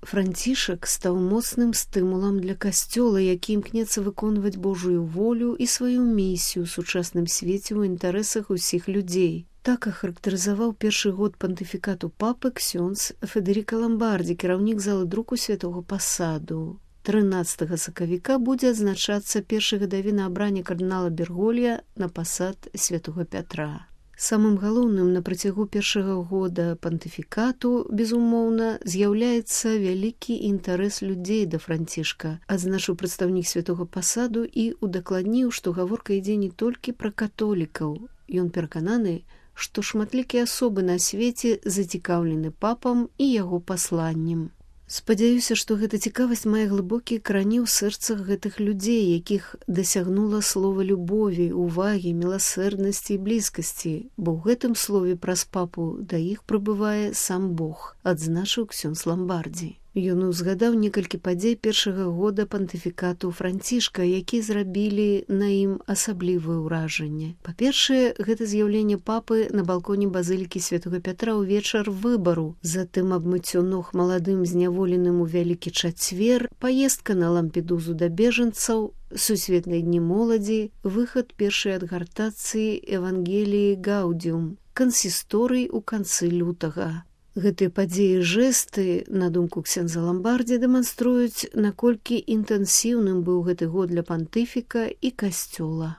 Францішак стаў моцным стымулам для касцёла, які імкнецца выконваць Божую волю і сваю місію ў сучасным свеце ў інтарэсах усіх людзей. Так ахарактарызаваў першы год пантыфікату папы ксёндз Федэріка Ламбардзі, кіраўнік залы друку Святога Пасаду. 13 сакавіка будзе адзначацца першы гадавіна абрання кардынала Берголья на пасад святого Пятра. Самым галоўным на працягу першага года пантыфікату, безумоўна, з'яўляецца вялікі інтарэс людзей да Францішка, адзначыў прадстаўнік Святога Пасаду і удакладніў, што гаворка ідзе не толькі пра католікаў. Ён перакананы, што шматлікія асобы на свеце зацікаўлены папам і яго пасланнем. Спадзяюся, што гэта цікавасць мае глыбокія карані ў сэрцах гэтых людзей, якіх дасягнула слова любові, увагі, міласэрнасці і блізкасці, бо ў гэтым слове праз папу да іх прыбывае сам Бог, адзначыў ксёндз Ламбардзі. Ён узгадаў некалькі падзей першага года пантыфікату Францішка, які зрабілі на ім асаблівае ўражанне. Па-першае, гэта з'яўленне папы на балконе базылікі Святога Пятра ў вечар выбару, затым абмыццё ног маладым зняволеным у Вялікі Чацвер, паездка на Лампедузу да бежанцаў, сусветныя дні моладзі, выхад першай адгартацыі Евангеліі Гаудіум, кансісторый у канцы лютага. Гэтыя падзеі і жэсты, на думку ксёндза Ламбардзі, дэманструюць, наколькі інтэнсіўным быў гэты год для пантыфіка і касцёла.